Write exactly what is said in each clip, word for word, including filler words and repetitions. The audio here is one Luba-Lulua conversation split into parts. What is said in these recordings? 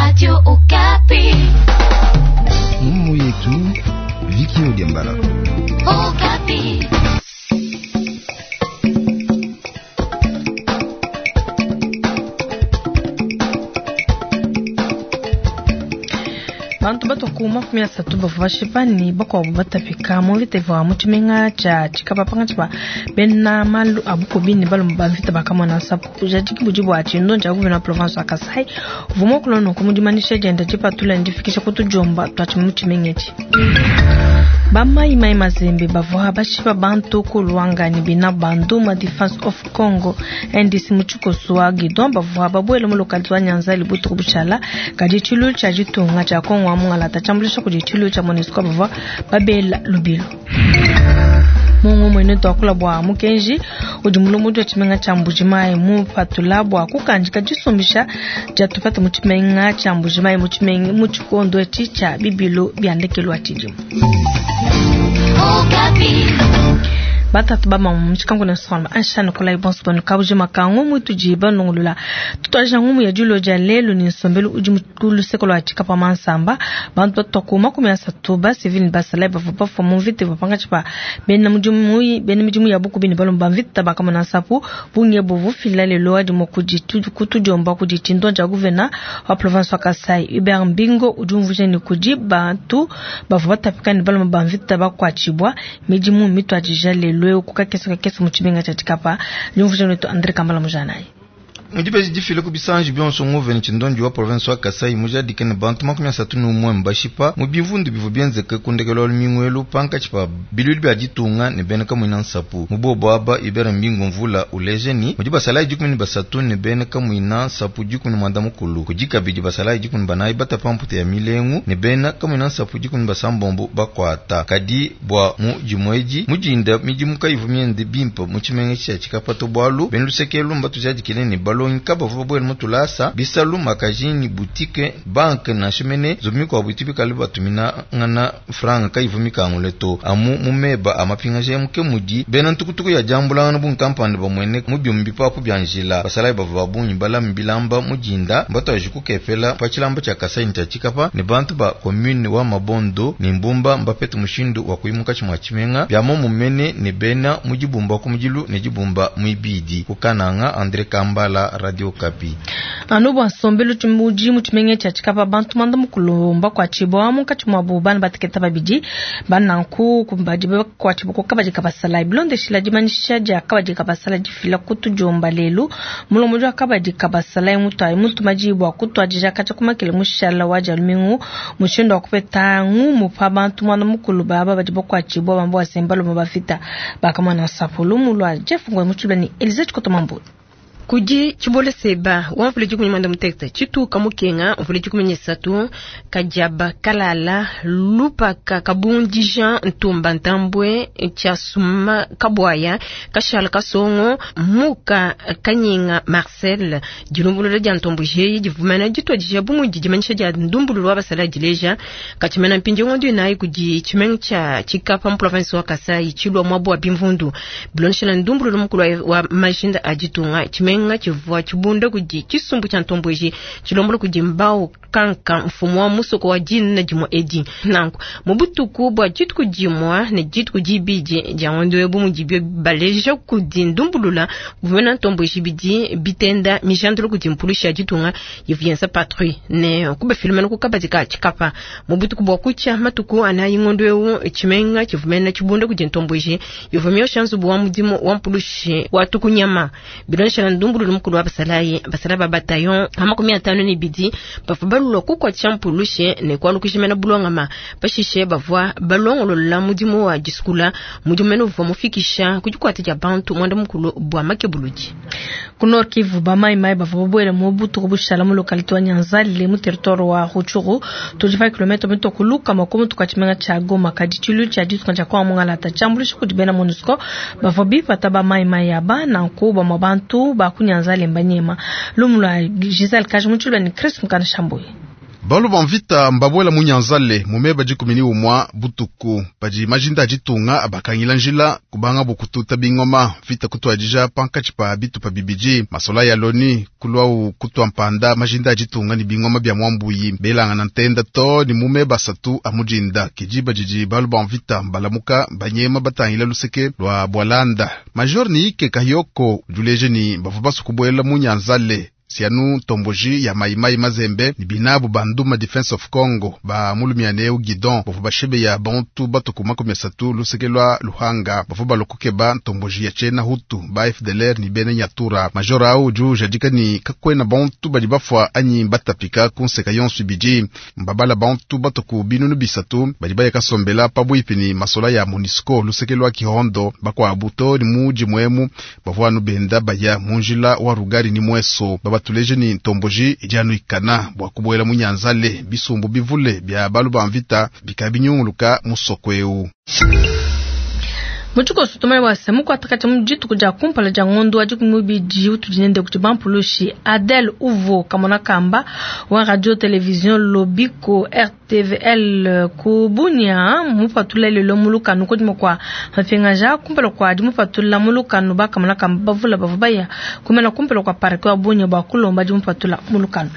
Radio Okapi. Mumu yetu Viki Odiambala. Okapi. Bantu batuku makumi asatu bavua bashipa ne bakuabu batapika mu mvita ivua mu tshimenga tshia Tshikapa pankatshi pa bena malu a bukubi ne balume ba mvita bakamona nsapu. Bujadiki budi bua tshindo tshia gouverneur wa province wa Kasai uvua muakula nunku mu dimanyisha dienda dipatula ne difikisha ku tudiomba tua mu tshimenga etshi. Bamayi mai mazembe bavua bashipa bantu ku Luanga ne bina Banduma Defense of Congo N D C mu tshikoso wa Guidon bavua babuele mu localité wa Nyanzali butuku bushala kadi tshilu tshia ditunga tshia Kongo wa Mungalata tshiambuluisha kudi tshilu tshia MONUSCO bavua babela lubilo. Mungu mwene twakula bwa mukenji udi mulombodi wa tshimenga tshia Mbujimayi mupatula bwa kukandika disumbisha dia tupata mu tshimenga tshia Mbujimayi mu tshimenga mu tshikondo etshi tshia bibilu bia ndekelu wa tshidimu. Batatu ba mamu mu na nsonga anshana kula ibonso banu kabuji makangu mutuji banungulula tutwaja ngumu ya julo ja lelo ni nsombelu udi mukulu sekolo Tshikapa mansamba bantu batuku makumi asatu ba civil basala bavua bafua mu mvita bapanga tshipa bena mudimu bena midimu ya bukubi ne balomba mvita bakamona nsapu bunge buvufila lelo adi mukudi kutudiomba kudi tshindo tshia gouverneur wa province wa Kasai Hubert Mbingo udi umvuja ne kudi bantu bavua batapika ne balomba mvita bakuatshibwa midimu mitwadija lelo kukakesa kakesa mu tshimenga tshia Tshikapa liumvuja netu Andre Kambala Mujanayi. Mudibeji difile ku bisanji bionso nguveni tshindondi wa province wa Kasai mujadike ne bantu makumi asatu n'umwe mbashipa mu bivundu bivua bienzeke ku ndekelu wa lumingu elu pankatshi pa bilulu bia ditunga ne bena kamuina nsapu. Mu bobo aba Hubert Mbingo mvula uleje ni mudi basalayi dikumi ne basatu ne bena kamuina nsapu dikumi ne muanda mukulu kudi kabidi basalayi dikumi ne banayi batapa mputa ya milengu ne bena kamuina nsapu dikumi ne basambombo bakuata kadi bua mu dimwedi mudinda midimu kayivu miende bimpe mu tshimenga tshia Tshikapa to bualu bena lusekelu mbatujadikile ne balo kaba vuba mutulasa bisalu makajini boutique banque na chemene zumi kwa buti kali batumina ngana franga kayivu mikangule to amu mumeba amapinga muke mudi bena ntukutuku ya jambula ngana bu kampani bamwene mu byumbi papu byanjila basalayi bava babunyi bala mbilamba mujinda mbataje kukepela pa tshilamba tshia Kasai tshia Tshikapa ne bantu ba commune wa Mabondo ne Mbumba mbapete mushindu wa kuyimuka tshimwa tshimenga bya mumene ne bena mujibumba ku mujilu ne jibumba muibidi kukananga Andre Kambala Radio Kapi. Anu bwa nsombelu tshimudi mu tshimenga tshia Tshikapa bantu manda mukulomba kwa tshibwa munkatshi mwa bo bana bateketa babidi bananku kumbadi kwa tshibwa kabadi kabasala bilondeshila dimanyisha dia kabadi kabasala difila kutujomba lelu mulombodi wa kabadi kabasala mutu mutu majibwa kutwadija kacha kumakele mushala wa jalumingu mushindo wa kupeta ngumu pa bantu mwana mukulu baba badi kwa tshibwa bambo asembalo mabafita bakamana sapulu mulwa Jeff Ngwe mutshibani ni Elise Chikotomambo. Kudi chibole seba wamvule dikumi mwanda mutekete chituka mukenga mvule dikumi nisatu kajaba kalala lupaka kabundi Jean ntumba ntambwe chasuma kabwaya kashala kasongo muka kanyinga Marcel dilumbulula dia ntombo jeyi divumana ditwadija bumudi dimanyisha dia ndumbululu wa basala dileja kachimena mpinji ngondi nayi kudi chimenga cha Tshikapa mu province wa Kasai chilwa mwabo wa bimvundu bilonshela ndumbululu mukulu wa majinda aditunga chimenga chivua chibunda kudi chisumbu cha ntomboji chilombola kudi mbao kanka mfumo wa musoko wa jina jimwa edi nanku mubutuku bwa jituku jimwa ne jituku jibidi dia ngondo ebu mudibyo baleja kudi ndumbulula buvena ntomboji bidi bitenda mijandolo kudi mpulusha jitunga yivuyensa patrouille ne kuba filmena kukabadika Tshikapa mubutuku bwa kucha matuku anayi ngondo ewu chimenga chivumena chibunda kudi ntomboji yivumyo shanzu bwa mudimu wa mpulushi wa tukunyama bilonsha ndumbululu mukulu wa basalayi basala ba bataillon amakumi atano ne bidi bavua balulwa kukwa tshampulushe ne kwalukishimena bulongama pashishe bavua balongolola mudimu wa disukula mudimu mene uvua mufikisha kudikwata dia bantu mwanda mukulu bwa makebuludi ku Nord Kivu bamayi mai bavua babuele mu butuku bushala mu localité wa Nyanzale mu territoire wa Rutshuru tudi pa kilomètre mitokuluka makumi tuka tshimenga tshia Goma kadi tshilu tshia ditunga tshia Kongo Mungalata tshiambuluisha kudi bena MONUSCO bavua bipata bamayi mai aba nanku bamwa bantu ba ku Nyanzale mbanyema lumulwa Giselle Kaji mutshilwa ni Chris Mukana Shambuyi. Balu ba mvita mbabwela mu Nyanzale mumeba dikumi ni umwa butuku padi majinda aditunga abakangila njila kubanga bukututa bingoma vita kutwadija pankatshi pa bitupa bibidi masola ya loni kulwau kutwa mpanda majinda aditunga ni bingoma bya mwambuyi belanga na ntenda to ni mumeba satu amujinda kijiba jiji balu ba mvita mbalamuka banyema batangila luseke lwa bwalanda major ni ike kayoko juleje ni bavubasu kubwela mu Nyanzale sianu tomboji ya maimai mazembe ni binabu banduma Defense of Congo ba mulumianeu Guidon bavu bashebe ya bantu batuku makumi asatu luseke lwa Luhanga bavu balokuke ba ntomboji ya chena Hutu ba F D L R ni bene Nyatura major au ju jadika ni kakwena bantu badi bafwa anyi batapika kunseka yonsu biji mbabala bantu batuku binunu bisatu badi baya kasombela pabwipi ni masola ya MONUSCO luseke lwa Kihondo bakwa abuto ni muji mwemu bavu anu benda baya munjila wa Rugari ni mweso baba tuleje ni ntomboji ijanu ikana bwa kubwela munyanzale bisumbu bivule bya balu ba mvita bikabinyunguluka musokweu. Mutuko sutumai wa semu kwa takati mjitu kuja kumpala ja ngondo wa jiku mubiji utujinende kutibampuloshi Adel Uvo kamona kamba wa radio television Lobiko R T V L kubunya mupatula lelo muluka nuko kwa mafengaja kumpala kwa dimupatula muluka nuba kamona kamba bavula bavubaya kumena kumpala kwa parke wa bunya ba kulomba dimupatula muluka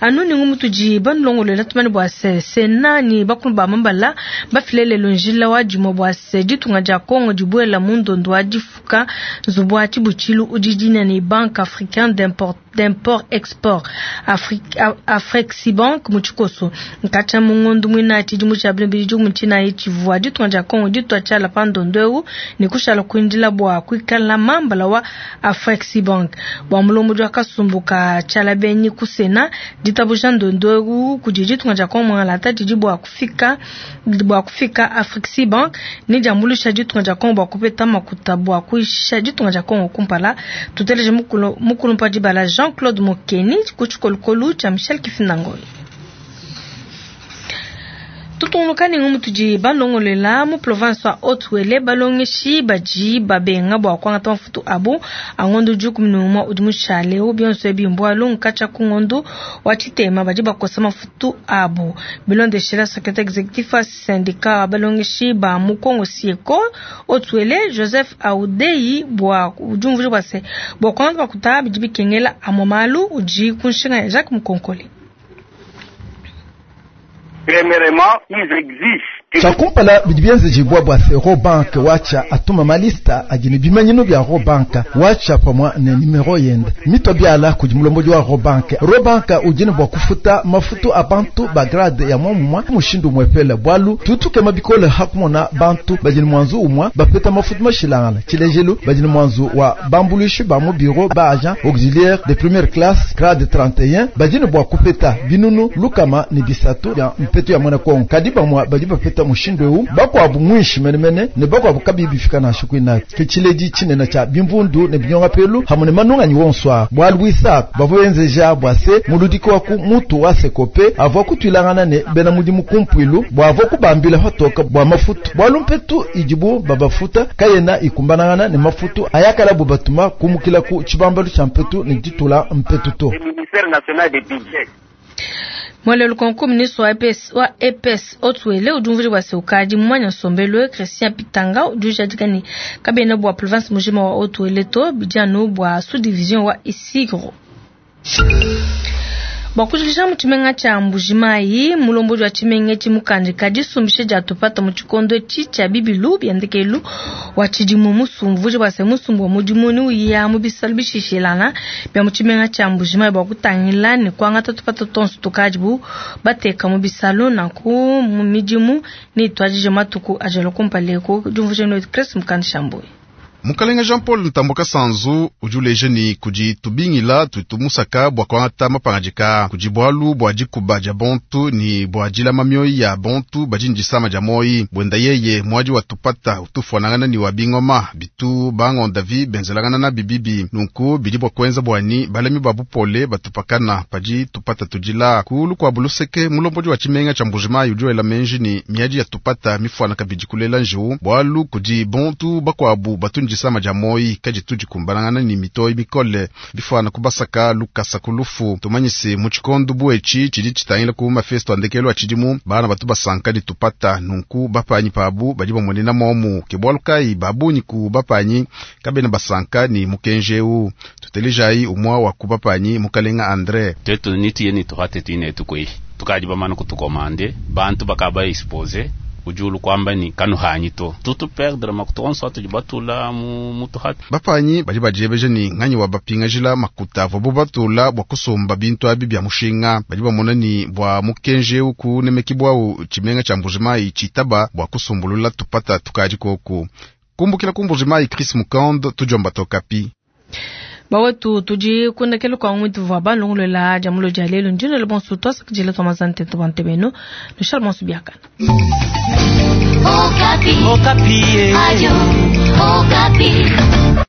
anu ni ngumutuji banlongo tumani bwa se senani bakulba mambala bafilele lonjila wa jimo bwa se ditunga ja Kongo dibwela mundondo wa difuka nzubu chibuchilu udidina ni Banque africaine d'import d'import export Afrique Afreximbank muchikoso nkacha mungondo mwina chidimu cha bili muchina ichivwa ditunga ja Kongo ditwa chala pandondo ni kushala kuindila bwa kuikala mambala wa Afreximbank bwa mulombo jwa kasumbuka chala benyi kusena ditabuja ndondo kujiditunga ja Kongo mwala tiji bwa kufika bwa kufika Afreximbank ni jambulisha ditunga ja Kongo bwa kupeta makuta bwa kuisha ditunga ja Kongo kumpala tuteleje mukulu mukulu mpaji bala Jean-Claude Mokeni kuchikolokolu cha Michel Kifindangoy. Tutunukani ngumutuji balongolela mu province wa Haut-Uele balongeshi baji babenga bwa kwangata mafutu abu angondo juku minuma udi mushale ubionso ebimbwa lunkacha kungondo wa chitema baji bakosa mafutu abu bilondeshela secrétaire exécutif wa syndicat balongeshi ba mukongo sieko Haut-Uele Joseph Audei bwa ujumvuji bwase bwa kwangata makuta biji bikengela amomalu uji kunshinga Jacques Mukonkole. Premièrement, ils exigent Chakumpala bidibienze jibwa bwa se Robank wacha atuma malista agini bimanyino bya Robank wacha pamwa ne numero yenda mito byala kujimulombo wa Robank Robank ujini bwa kufuta mafutu abantu ba grade ya mwamwa mushindu mwepele bwalu tutuke mabikole hakumona bantu bajini mwanzu umwa bapeta mafutu mashilangala chilejelu bajini mwanzu wa bambulushi ba mu bureau ba agent auxiliaire de première classe grade trente et un bajini bwa kupeta binunu lukama ni bisatu ya mpetu ya mwana Kongo kadiba mwa baji bapeta mushindo eu bakwabu mwishi menemene ne bakwabu kabibi fika na shukwina kichileji chinena cha bimvundu ne binyonga pelu hamune manunga wonswa bwalwisa bavoyenzeja bwase muludiko waku mutu wasekope avo kutwilangana ne bena mudimu kumpwilu bwavo kubambila hatoka bwa mafutu bwalumpetu ijibu babafuta kayena ikumbanangana ne mafutu ayakala bubatuma kumukila ku chibambalu cha mpetu ne ditula mpetu to. Ministère national des budgets. Mwale lukonko ministre wa E P S wa E P S Haut-Uele ujumvuri wa seukaji mwanya sombelo Christian Pitanga ujujadikani kabena bwa province mujima wa Haut-Uele to bijano bwa sous-division wa Isigro. Bwakujulisha muchimenga cha Mbujimayi mulomboji wa chimenga chimukanje kadisumbishe jatupata muchikondo chicha bibilu byandikelu wa chidimu musumvu bwase musumbu mudimuni uya mubisalu bishishilana bya muchimenga cha Mbujimayi bwakutangila ni kwangata tupata tonsu tukajibu bateka mubisalu na ku mumidimu ni twajije matuku ajalo kumpaleko jumvuje no Chris Mukandishamboy. Mukalenga Jean-Paul Ntamboka Sanzu ujuleje ni kujitubingila tutumusaka bwa kwangata mapangajika kujibwalu bwa jikuba ja bontu ni bwa jilama mioyi ya bontu bajinjisama ja moyi bwenda yeye mwaji wa tupata utufuanangana ni wa bingoma bitu bangonda vi benzelangana na bibibi nunku bidi bwa kwenza bwani balemi ba bupole batupakana paji tupata tujila kulu kwa buluseke mulomboji wa chimenga cha Mbujimayi ujuela menji ni miaji ya tupata mifuana kabiji kulela njiu bwalu kuji bontu bakwabu batu disama dia moyi kaditu dikumbanangana ni mitoyi mikole bifwana kubasaka lukasa ku lufu. Tumanyise mu tshikondo buetshi tshidi tshitangila ku mafesto andekelo atshidimu bana batu basanka ditupata nunku bapanyi pabu badi bamonena momu ke bwalu kai babunyi ku bapanyi kabena basanka ni mukenjeu tutelejayi umwa wa ku bapanyi mukalenga Andre. Tetu nitiye ni tuhate tuine tukwe tukadi bamana kutukomande bantu bakaba expose ujulu kwamba ni kanu hanyi to tutu perdre makuta onso atudi batula mu mutuhate. Bapanyi badi badiebeja ni nganyi wa bapingajila makuta avo batula bua kusomba bintu abi bya mushinga. Badi bamona ni bua mukenjeu ku nemekibwawu tshimenga tshia Mbujimayi tshitaba bua kusumbulula tupata tukadi koku kumbukila ku Mbujimayi. Chris Mukand, tudiomba Tokapi. Bawetu tudi kundekelo kwa ngwitu vwa balongolola dia mulo dia lelo ndino le bonso twasakidila twa mazante to bantebeno nushal bonso biakana. Okapi. Okapi. Radio Okapi.